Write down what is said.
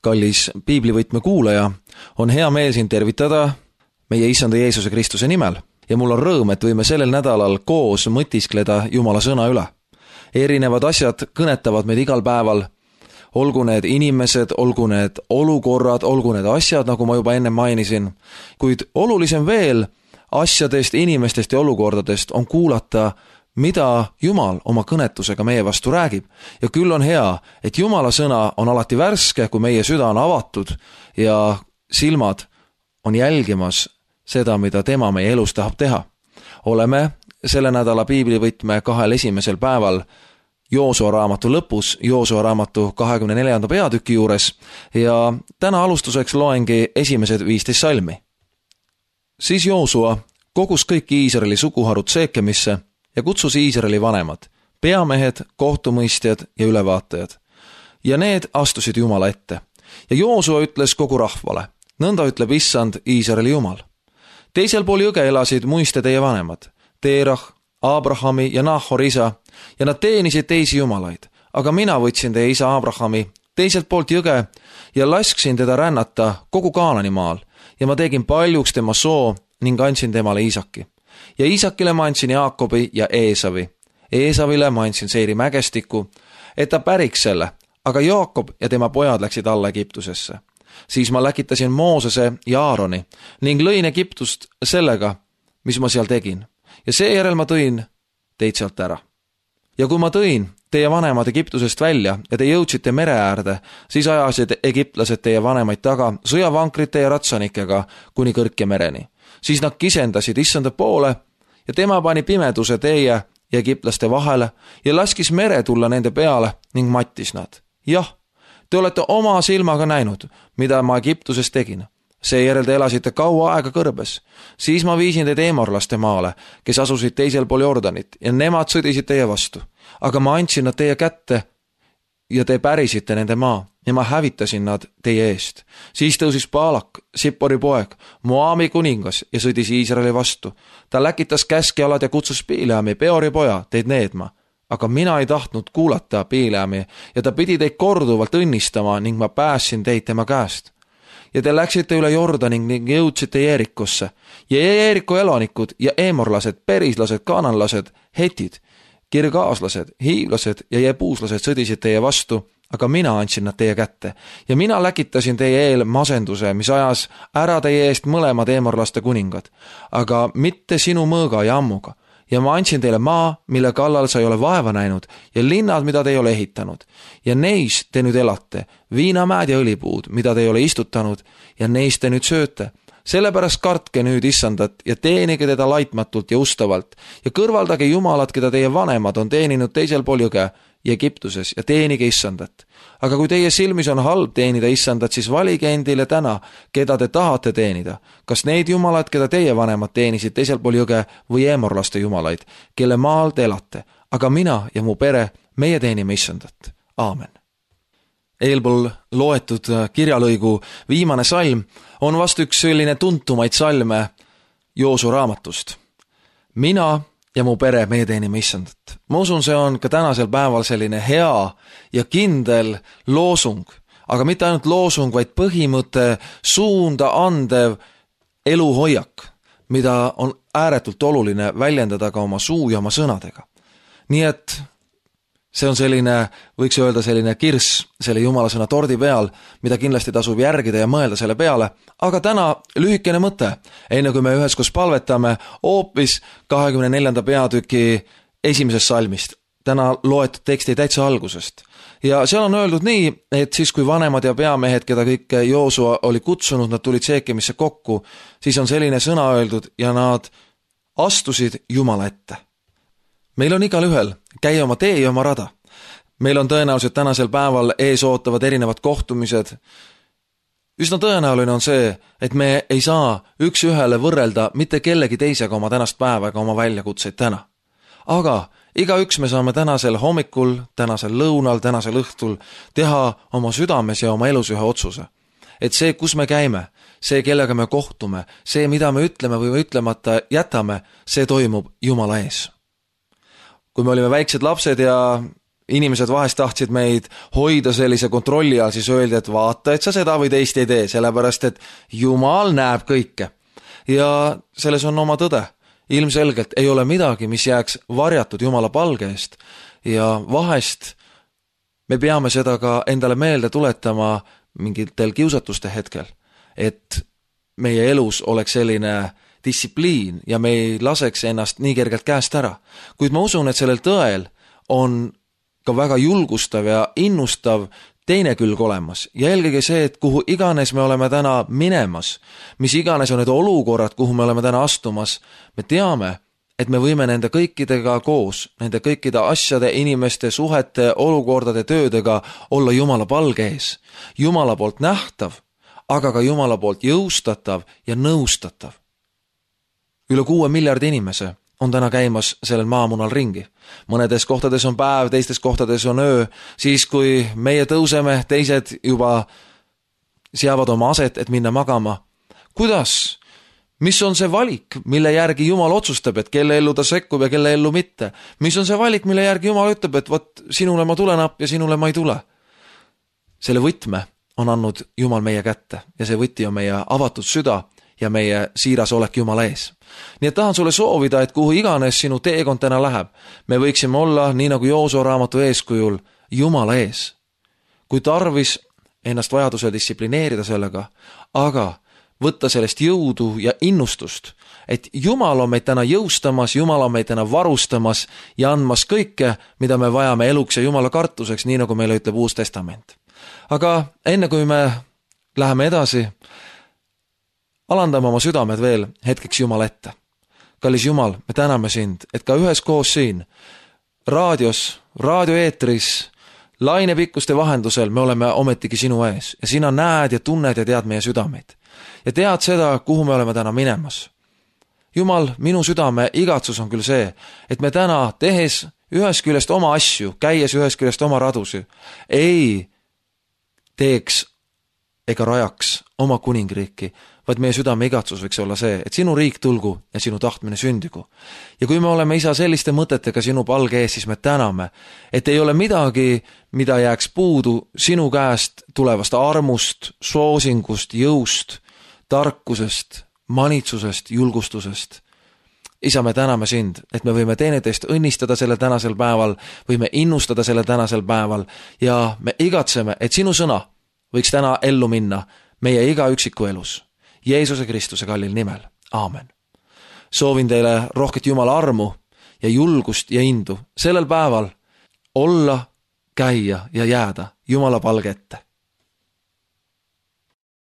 Kallis piiblivõtme kuulaja, on hea meel sind tervitada meie Issanda Jeesuse Kristuse nimel ja mul on rõõm, et võime sellel nädalal koos mõtiskleda Jumala sõna üle. Erinevad asjad kõnetavad meid igal päeval, olgu need inimesed, olgu need olukorrad, olgu need asjad, nagu ma juba enne mainisin, kuid olulisem veel asjadest, inimestest ja olukordadest on kuulata, mida Jumal oma kõnetusega meie vastu räägib. Ja küll on hea, et Jumala sõna on alati värske, kui meie süda on avatud ja silmad on jälgimas seda, mida tema meie elus tahab teha. Oleme selle nädala piiblivõtme 2 esimesel päeval Joosua raamatu lõpus, Joosua raamatu 24. peatüki juures ja täna alustuseks loengi esimesed 15 salmi. Siis Joosua kogus kõik Iisraeli suguharud Seekemisse ja kutsus Iisraeli vanemad, peamehed, kohtumõistjad ja ülevaatajad. Ja need astusid Jumala ette. Ja Joosua ütles kogu rahvale, nõnda ütleb Issand Iisraeli Jumal. Teisel pool jõge elasid muiste teie vanemad, Teerah, Abrahami ja Nahori isa, ja nad teenisid teisi jumalaid. Aga mina võtsin teie isa Abrahami teiselt poolt jõge ja lasksin teda rännata kogu Kaanani maal ja ma tegin paljuks tema soo ning andsin temale Iisaki. Ja Iisakile ma andsin Jaakobi ja Eesavi. Eesavile ma andsin Seiri mägestiku, et ta päriks selle, aga Jaakob ja tema pojad läksid alla Egiptusesse. Siis ma läkitasin Moosese ja Aaroni ning lõin Egiptust sellega, mis ma seal tegin. Ja seejärel ma tõin teid sealt ära. Ja kui ma tõin teie vanemad Egiptusest välja ja te jõudsite mere äärde, siis ajasid egiptlased teie vanemaid taga sõjavankrite ja ratsanikega kuni kõrke mereni. Siis nad kisendasid Issanda poole ja tema pani pimeduse teie ja egiptlaste vahele ja laskis mere tulla nende peale ning mattis nad. Jah, te olete oma silmaga näinud, mida ma Egiptuses tegin. Seejärel te elasite kaua aega kõrbes. Siis ma viisin teid eemorlaste maale, kes asusid teisel pool Jordanit ja nemad sõdisid teie vastu. Aga ma andsin nad teie kätte ja te pärisite nende maa ja ma hävitasin nad teie eest. Siis tõusis Baalak, Sippori poeg, Moaami kuningas ja sõdis Iisraeli vastu. Ta läkitas käskjalad ja kutsus Bileami, Peori poja, teid needma. Aga mina ei tahtnud kuulata Bileami ja ta pidi teid korduvalt õnnistama ning ma päässin teid tema käest. Ja te läksite üle Jordaning ning jõudsite Jeerikosse. Ja Jeeriko elanikud ja eemorlased, perislased, kananlased, hetid, kirgaaslased, hiivlased ja jebuuslased sõdisid teie vastu, aga mina andsin nad teie kätte. Ja mina läkitasin teie eel masenduse, mis ajas ära teie eest mõlemad eemorlaste kuningad, aga mitte sinu mõõga ja ammuga. Ja ma andsin teile maa, mille kallal sa ei ole vaeva näinud, ja linnad, mida te ei ole ehitanud. Ja neis te nüüd elate, viinamäed ja õlipuud, mida te ei ole istutanud, ja neis te nüüd sööte. Sellepärast kartke nüüd Issandat ja teenige teda laitmatult ja ustavalt, ja kõrvaldage Jumalat, keda teie vanemad on teeninud teisel pool jõge ja Egiptuses, ja teenige Issandat. Aga kui teie silmis on halb teenida Issandat, siis valige endile täna, keda te tahate teenida. Kas neid jumalad, keda teie vanemad teenisid teisel pool jõge või eemorlaste jumalaid, kelle maal te elate. Aga mina ja mu pere, meie teenime Issandat. Aamen. Eelpool loetud kirjalõigu viimane salm on vast üks selline tuntumaid salme Joosua raamatust. Mina ja mu pere, meie teenime Issandat. Ma usun, see on ka tänasel päeval selline hea ja kindel loosung, aga mitte ainult loosung, vaid põhimõte, suunda andev eluhoiak, mida on ääretult oluline väljendada ka oma suu ja oma sõnadega. Nii et see on selline, võiks öelda selline kirss selle Jumala sõna tordi peal, mida kindlasti tasub järgida ja mõelda selle peale. Aga täna lühikene mõte, enne kui me üheskoos palvetame hoopis 24. peatüki esimesest salmist. Täna loetud teksti täitsa algusest. Ja seal on öeldud nii, et siis kui vanemad ja peamehed, keda kõik Joosua oli kutsunud, nad tulid Seekemisse kokku, siis on selline sõna öeldud ja nad astusid Jumala ette. Meil on igal ühel käia oma tee ja oma rada. Meil on tõenäoliselt tänasel päeval ees ootavad erinevad kohtumised. Üsna tõenäoline on see, et me ei saa üks ühele võrrelda mitte kellegi teisega oma tänast päeva ega oma väljakutseid täna. Aga igaüks me saame tänasel hommikul, tänasel lõunal, tänasel õhtul teha oma südames ja oma elus ühe otsuse. Et see, kus me käime, see, kellega me kohtume, see, mida me ütleme või ütlemata jätame, see toimub Jumala ees. Kui me olime väiksed lapsed ja inimesed vahest tahtsid meid hoida sellise kontrolli all, siis öeldi, et vaata, et sa seda või teist ei tee, sellepärast et Jumal näeb kõike. Ja selles on oma tõde. Ilmselgelt ei ole midagi, mis jääks varjatud Jumala palge eest ja vahest me peame seda ka endale meelde tuletama mingitel kiusatuste hetkel, et meie elus oleks selline distsipliin ja me ei laseks ennast nii kergelt käest ära. Kuid ma usun, et sellel tõel on ka väga julgustav ja innustav teine külg olemas ja eelkõige see, et kuhu iganes me oleme täna minemas, mis iganes on need olukorrad, kuhu me oleme täna astumas, me teame, et me võime nende kõikidega koos, nende kõikide asjade, inimeste, suhete, olukordade, töödega olla Jumala palge ees. Jumala poolt nähtav, aga ka Jumala poolt jõustatav ja nõustatav. Üle 6 miljardi inimese on täna käimas sellel maamunal ringi. Mõnedes kohtades on päev, teistes kohtades on öö, siis kui meie tõuseme, teised juba seavad oma aset, et minna magama. Kuidas? Mis on see valik, mille järgi Jumal otsustab, et kelle ellu ta sekkub ja kelle ellu mitte? Mis on see valik, mille järgi Jumal ütleb, et vot sinule ma tulen appi ja sinule ma ei tule? Selle võtme on andnud Jumal meie kätte ja see võti on meie avatud süda ja meie siiras olek Jumala ees. Nii et tahan sulle soovida, et kuhu iganes sinu teekond täna läheb, me võiksime olla, nii nagu Joosua raamatu eeskujul, Jumala ees. Kui tarvis ennast vajadusel distsiplineerida sellega, aga võtta sellest jõudu ja innustust, et Jumal on meid täna jõustamas, Jumal on meid täna varustamas ja andmas kõike, mida me vajame eluks ja Jumala kartuseks, nii nagu meile ütleb Uus Testament. Aga enne kui me läheme edasi, alandame oma südamed veel hetkeks Jumala ette. Kallis Jumal, me täname sind, et ka üheskoos siin, raadios, raadioeetris, lainepikkuste vahendusel me oleme ometigi sinu ees ja sina näed ja tunned ja tead meie südameid. Ja tead seda, kuhu me oleme täna minemas. Jumal, minu südame igatsus on küll see, et me täna tehes ühest küljest oma asju, käies ühest küljest oma radusi, ei teeks ega rajaks oma kuningriiki, vaid meie südame igatsus võiks olla see, et sinu riik tulgu ja sinu tahtmine sündigu. Ja kui me oleme, Isa, selliste mõtetega sinu palge ees, siis me täname, et ei ole midagi, mida jääks puudu sinu käest tulevast armust, soosingust, jõust, tarkusest, manitsusest, julgustusest. Isa, me täname sind, et me võime teineteist õnnistada sellel tänasel päeval, võime innustada sellel tänasel päeval ja me igatseme, et sinu sõna võiks täna ellu minna meie iga üksiku elus. Jeesuse Kristuse kallil nimel. Aamen. Soovin teile rohket Jumala armu ja julgust ja indu sellel päeval olla, käia ja jääda Jumala palge ette.